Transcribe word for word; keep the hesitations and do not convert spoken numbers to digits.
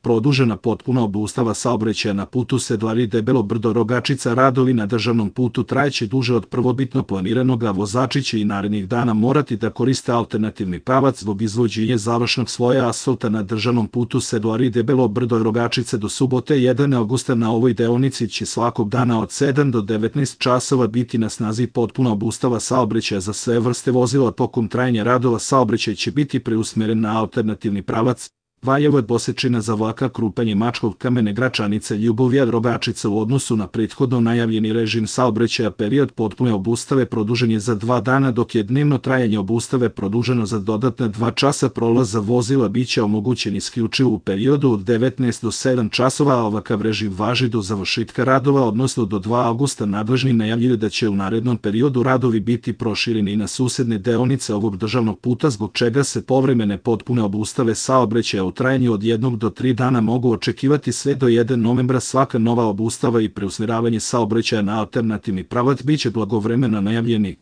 produžena potpuna obustava saobraćaja na putu Sedlari Debelo Brdo Rogačica. Radovi na državnom putu trajeće duže od prvobitno planiranog, a vozači će i narednih dana morati da koriste alternativni pravac zbog izvođenja završnog sloja asfalta na državnom putu Sedlari Debelo Brdo Rogačice do subote prvog avgusta. Na ovoj deonici će svakog dana od sedam do devetnaest časova biti na snazi potpuna obustava saobraćaja za sve vrste vozila. Tokom trajanja radova saobraćaj će biti preusmeren na alternativni pravac Valjevo Bosečina za vlaka Krupanje Mačkov Kamene Gračanice Ljubovija Rogačica. U odnosu na prethodno najavljeni režim saobraćaja period potpune obustave produžen je za dva dana, dok je dnevno trajanje obustave produženo za dodatna dva časa. Prolaz za vozila biće omogućen isključivo u periodu od devetnaest do sedam časova, a ovakav režim važi do završetka radova, odnosno do drugog avgusta. Nadležni najavljuju da će u narednom periodu radovi biti prošireni i na susedne deonice ovog državnog puta, zbog čega se povremene potpune obustave saobraćaja u trajanju od jednog do tri dana mogu očekivati sve do prvog novembra. Svaka nova obustava i preusmeravanje saobraćaja na alternativni pravac biće blagovremeno najavljeni.